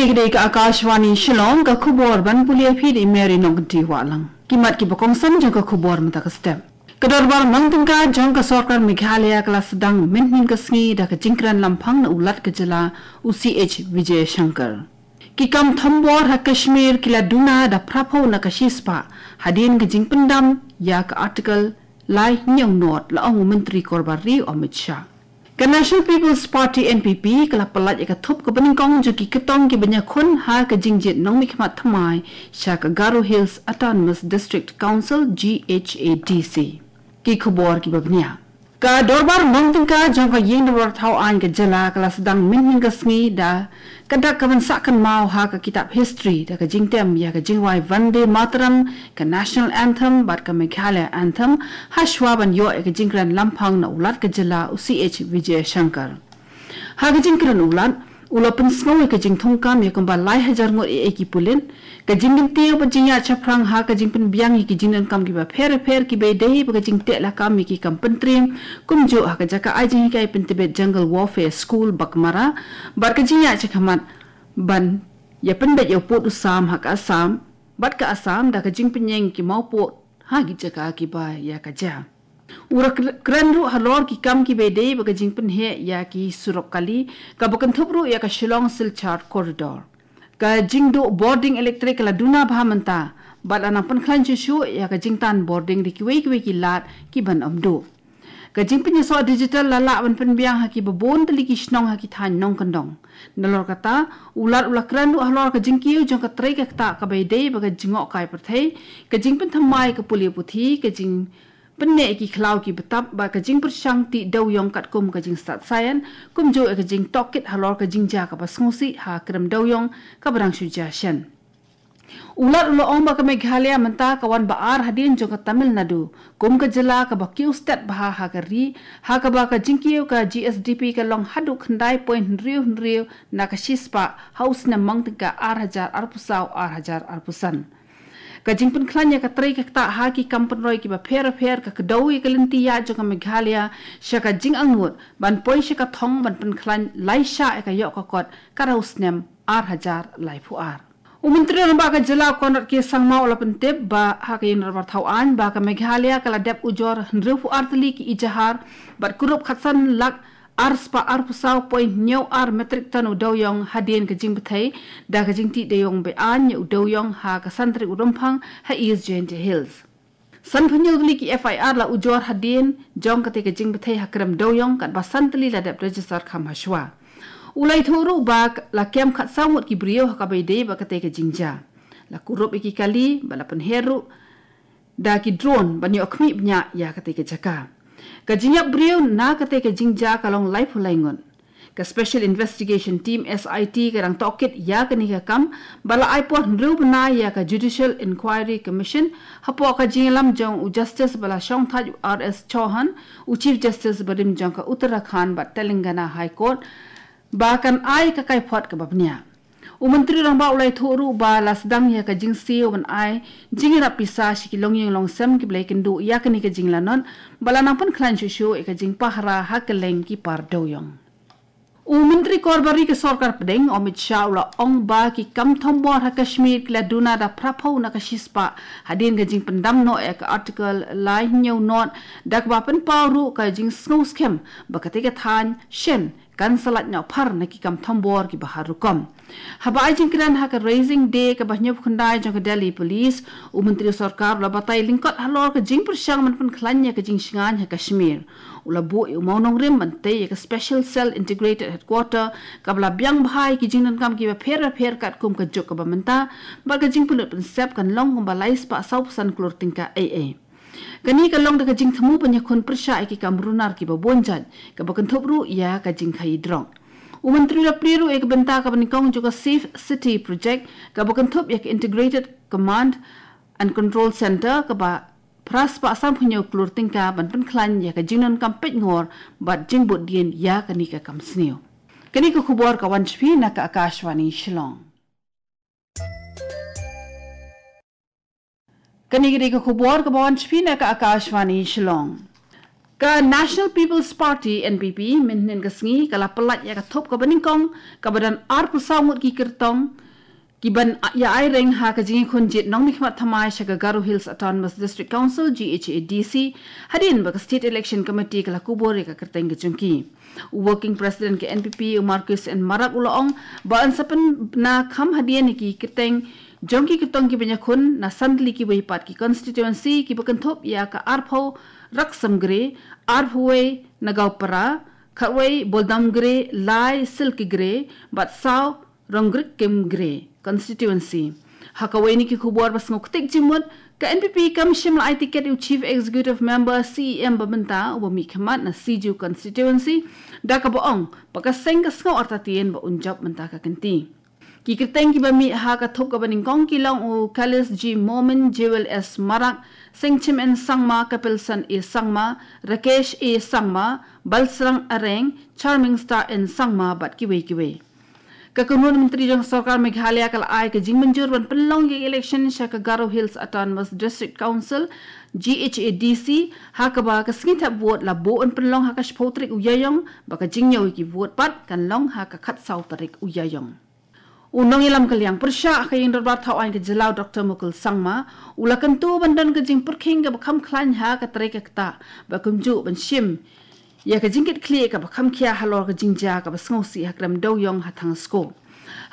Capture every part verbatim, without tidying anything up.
Ka dei ka Akashvani Shillong, ka khubor ban pule phi da i Mary Nongkynti Wahlang. Ki mat kiba kongsan jong ka khubor mynta ka step. Ka dorbar mang tyngka jong ka sorkar Meghalaya ka la sdang mynhynnin ka sngi da ka jingkren lamphang na u Lat ka jylla u C H Vijayashankar. Ki kam thombor ha Kashmir ki la duna da phraphew na ka shispah hadien ka jingpyndam ïa ka Article lai hynñiew nod, la ong u Myntri Korbar Ri Amit Shah. Ka National People's Party N P P ka la pyllait ïa ka thup kaba nyngkong jong ki kyrtong kiba ñiewkhun ha ka jingjied nongmihkhmat thymmai sha ka Garo Hills Autonomous District Council, G H A D C. Ki khubor kiba bniah. Ka dorbar mang tyngka jong ka ïing dorbar thaw aiñ ka jylla ka la sdang mynhynnin ka sngi da ka dak kaban sah kynmaw ha ka kitab history da ka jingtem ïa ka jingrwai Vande Mataram, ka national anthem bad ka Meghalaya anthem, ha shuwa ban ïoh ïa ka jingkren lamphang na u Lat ka jylla u C H Vijayashankar. Ha ka jingkren u Lat, u la pynsngew ïa ka jingthungkam ïa kumba lai hajar ngut ïa ki pulit, ka jingkyntiew bad jingïaid shaphrang ha ka jingpynbiang ïa ki jingdonkam kiba pher bapher kiba ïadei bad ka jingteh lakam ïa ki kam pyntriem, kumjuh ha ka jaka ai jinghikai pyntbit Jungle Warfare School Baghmara, bad ka jingïaid shakhmat ban ïa pynbeit ïa u pud u sam ha ka Assam bad ka Assam da ka jingpynïeng ki mawpud ha ki jaka kiba ïa ka jia. U la kr-, kren ruh halor ki kam kiba ïadei bad ka jingpynheh ïa ki surok kali, kaba kynthup ruh ïa ka Shillong Silchar Corridor. Ka jingduh bording elektrik ka la duna bha mynta, bad la nang pynkhlaiñ shuh shuh ïa ka jingtan bording da kiwei kiwei ki lad kiban ym duh. Ka jingpynïasoh digital la lah ban pynbiang ha kiba bun tylli ki shnong ha ki thaiñ nongkyndong. Nalor kata, u Lat u la kren ruh halor ka jingkiew jong ka trei ka ktah kaba ïadei bad ka jingngokkai pyrthei, ka jingpynthymmai ka pule puthi, ka jingpynneh ïa ki khlaw ki btap bad ka jingpyrshang tih dewïong katkum ka jingstad saian, kumjuh ïa ka jingtohkit halor ka jingjia kaba sngewsih ha krem dewïong kaba dang shu jia shen. U Lat u la ong ba ka Meghalaya mynta ka wan ba ar hadien jong ka Tamil Nadu kum ka jylla kaba kiew stet bha ha ka ri, ha kaba ka jingkiew ka G S D P ka long haduh khyndai point hynriew hynriew na ka shispah ha u snem mang tyngka ar hajar arphew saw ar hajar arphew san. Ka jingpynkhlaiñ ïa ka trei ka ktah ha ki kam pynroi kiba pher bapher ka kdew ïa ka lynti ïaid jong ka Meghalaya sha ka jingangnud ban poi sha ka thong ban pynkhlaiñ lai shah ïa ka ïoh ka kot ka rau snem ar hajar laiphew ar. U Myntri Rangbah ka jylla Conrad K Sangma u la pyntip ba ha ka ïing dorbar thaw aiñ ba ka Meghalaya ka la dep ujor hynriewphew ar tylli ki ejahar bad kurup khatsan lak ar spah arphew saw point hynñiew ar metric ton u dewïong hadien ka jingbthei da ka jingtih dewïong be-aiñ ïa u dewïong ha ka San Tarik u Rymphang ha East Jaintia Hills. Sanphew hynñiew tylli ki F I R la ujor hadien jong katei ka jingbthei ha krem dewïong, katba san tylli la dep register kham ha shuwa. U la ïathuh ruh ba la kem khatsaw ngut ki briew ha kaba ïadei bad katei ka jingjia. La kurup ïa ki kali bad la pynher ruh da ki drone ban ïoh khmih bniah ïa katei ka jaka. Ka jingïap briew na katei ka jingjia ka long laiphew lai ngut. Ka Special Investigation Team, S I T, ka dang tohkit ïa kane ka kam bad la ai por hynriew bnai ïa ka Judicial Inquiry Commission hapoh ka jingïalam jong u Justice ba la shongthait u R S Chauhan, u Chief Justice barim jong ka Uttarakhand bad Telangana High Court, ba kan ai ka kaiphod kaba bniah. U Myntri Rangbah u la ïathuh ruh ba la sdang ïa ka jingsiew ban ai jingïarap pisa sha ki longïing longsem kiba la ïakynduh ïa kane ka jinglanot bad la nang pynkhlaiñ shuh shuh ïa ka jingpahara ha kylleng ki par dewïong. U Myntri Korbar Ri ka Sorkar Pdeng, Amit Shah, u la ong ba ki kam thombor ha Kashmir ki la duna da phraphew na ka shispah hadien ka jingpyndam noh ïa ka Article lai hynñiew nod, da kaba pynpaw ruh ka jingsngew skhem ba katei ka thaiñ shen kan sa lait noh phar na ki kam thombor kiba har rukom. Haba ai jingkren ha ka Raising Day kaba hynñiewphew khyndai jong ka Delhi Police, u Myntri Sorkar u la batai lyngkot halor ka jingpyrshang ban pynkhlaiñ ïa ka jingshngaiñ ha Kashmir. U la buh ïa u mawnongrim ban tei ïa ka Special Cell Integrated Headquarter kaba la biang bha ïa ki jingdonkam kiba pher bapher katkum ka juk kaba mynta, bad ka jingpynlut pynsep kan long kumba lai spah sawphew san klur tyngka ei ei. Kane ka long da ka jingthmu ban ïakhun pyrshah ïa ki kam runar kiba bun jait, kaba kynthup ruh ïa ka jingkhaïi drok. U Myntri u la plie ruh ïa ka bynta kaba nyngkong jong ka Safe City Project, kaba kynthup ïa ka Integrated Command and Control Centre kaba phra spah sanphew hynñiew klur tyngka ban pynkhlaiñ ïa ka jingdonkam peitngor bad jingbud dien ïa kane ka kam sniew. Kane ka khubor ka wan sha phi na ka Akashvani Shillong. Kane ka dei ka khubor kaba wan sha phi na ka Akashvani Shillong. Ka National People's Party, N P P, mynhynnin ka sngi ka la pyllait ïa ka thup kaba nyngkong kaba don arphew saw ngut ki kyrtong ki ban ïa ai reng ha ka jingïakhun jied nongmihkhmat thymmai sha ka Garo Hills Autonomous District Council, G H A D C, hadien ba ka State Election Committee ka la kubur ïa ka kyrteng ka jong ki. U Working President ka N P P, u Marcuise N Marak, u la ong ba yn sa pynbna kham hadien ïa ki kyrteng jong ki kyrtong ki ban ïakhun na san tylli kiwei pat ki constituency kiba kynthup ïa ka arphew Raksam Gre, arphew wei Nagaon Para, khatwei Boldam Gre, lai Silki Gre, bad saw Rongrikim Gre constituency. Ha kawei na ki khubor ba sngewktieh jingmut, ka N P P kam shym la ai tiket ïa u Chief Executive Member, C E M ba mynta, uba mihkhmat na Sijuh constituency, da kaba ong ba ka seng ka sngew artatien ba un jop mynta ka kynti. Ki kyrteng kiba mih ha ka thup kaba nyngkong ki long u Khalis G Momin, Jewel S Marak, Sengchim N Sangma, Kapilson A Sangma, Rakesh A Sangma, Balsrang Areng, Charming Star N Sangma bad kiwei kiwei. Ka kynhun myntri jong sorkar Meghalaya ka la ai ka jingmynjur ban pynlong ïa ka election sha ka Garo Hills Autonomous District Council, G H A D C, ha kaba ka sngi thep vote la buh ban pynlong ha ka shiphew tarik u Ïaïong, ba ka jingñiew ïa ki vote pat kan long ha ka khatsaw tarik u Ïaïong. U nongïalam ka liang pyrshah ha ka ïing dorbar thaw aiñ ka jylla u Doctor Mukul Sangma, u la kyntu ban don ka jingpyrkhing kaba kham khlaiñ ha ka trei ka ktah, ba kumjuh ban shim ïa ka jingkitkhlieh kaba kham khia halor ka jingjia kaba sngewsih ha krem dewiong ha Thangsku.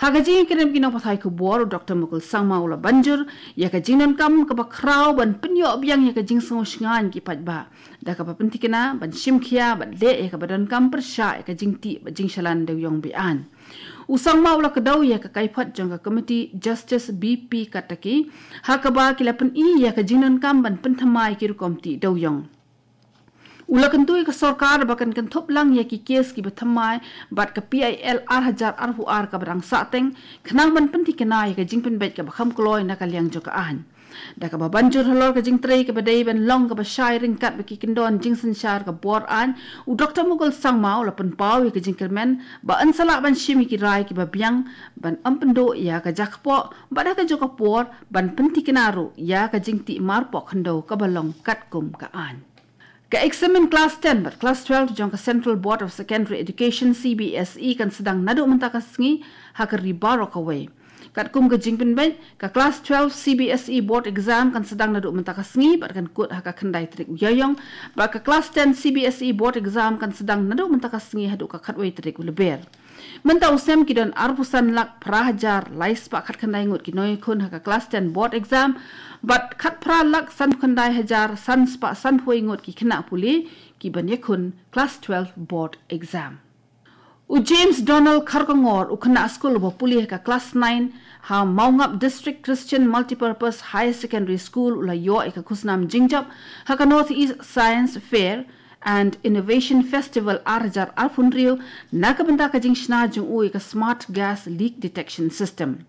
Ha ka jingïakren bad ki nongpathai khubor, u Doctor Mukul Sangma u la ban jur ïa ka jingdonkam kaba khraw ban pynïoh biang ïa ka jingsngew shngaiñ ki paidbah, da kaba pynthikna ban shim khia bad leh ïa kaba donkam pyrshah ïa ka jingtih bad jingshalan dewiong be-aiñ. U Sangma u la kdew ïa ka kaiphod jong ka Committee Justice B P Kataki, ha kaba ki la pyni ïa ka jingdonkam ban pynthymmai ki rukom tih dewiong. U la kyntu ïa ka sorkar ba kan kynthup lang ïa ki kes kiba thymmai bad ka P I L ar hajar arphew ar kaba dang sahteng, khnang ban pynthikna ïa ka jingpynbeit kaba kham kloi na ka liang jong ka aiñ. Da kaba ban jur halor ka jingtrei kaba dei ban long kaba shai ryngkat bad ki kyndon jingsynshar ka bor aiñ, u Doctor Mukul Sangma u la pynpaw ïa ka jingkyrmen ba yn sa lah ban shim ïa ki rai kiba biang, ban ym pynduh ïa ka jakpoh, bad ha kajuh ka por ban pynthikna ruh ïa ka jingtih marpoh khyndew kaba long katkum ka aiñ. Ka eksamin klas ten bad klas twelve jong ka Central Board of Secondary Education, C B S E, kan sdang naduh mynta ka sngi ha ka ri baroh kawei. Katkum ka jingpynbeit, ka klas twelve C B S E board exam kan sdang naduh mynta ka sngi bad kan kut ha ka khyndai tarik u Ïaïong, bad ka klas ten C B S E board exam kan sdang naduh mynta ka sngi haduh ka khatwei tarik u Lber. Mynta u sem ki don arphew san lak phra hajar lai spah khatkhyndai ngut ki nongïakhun ha ka klas ten board exam, bad khatphra lak sanphew khyndai hajar san spah sanphew wei ngut ki khynnah pule ki ban ïakhun klas twelve board exam. U James Donald Kharkongor, u khynnah skul uba pule ha ka klas nine ha Mawngap District Christian Multipurpose Higher Secondary School, u la ïoh ïa ka khusnam jingjop ha ka North East Science Fair and Innovation Festival ar hajar arphew hynriew, na ka bynta ka jingshna jong u ïa ka Smart Gas Leak Detection System.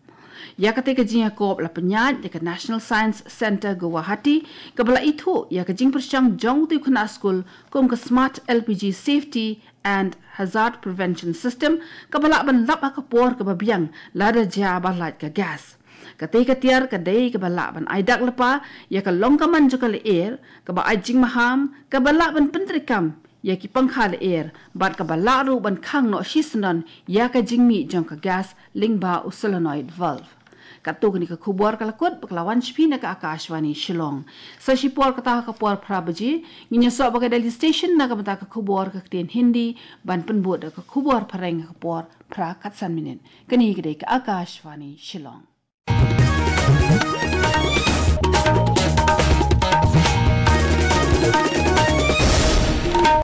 Ïa katei ka jingïakob la pynïaid da ka National Science Centre, Guwahati, kaba la ithuh ïa ka jingpyrshang jong utei u khynnah skul kum ka Smart L P G Safety and Hazard Prevention System, kaba lah ban lap ha ka por kaba biang lada jia ba lait ka gas. Katei ka tiar ka dei kaba lah ban ai dak lypa ïa ka long ka man jong ka lyer, kaba ai jingmaham, kaba lah ban pyntreikam ïa ki pangkha lyer, bad kaba lah ruh ban khang noh shisyndon ïa ka jingmih jong ka gas lyngba u solenoid valve. Katto kane ka khubor ka la kut, ba ka la wan sha phi na ka Akashvani Shillong. Sa shipor kata ha ka por phra baje ngin ïasoh bad ka Delhi Station na ka bynta ka khubor ka ktien Hindi, ban pynbud da ka khubor phareng ha ka por phra khatsan minit. Kane ka dei ka Akashvani Shillong.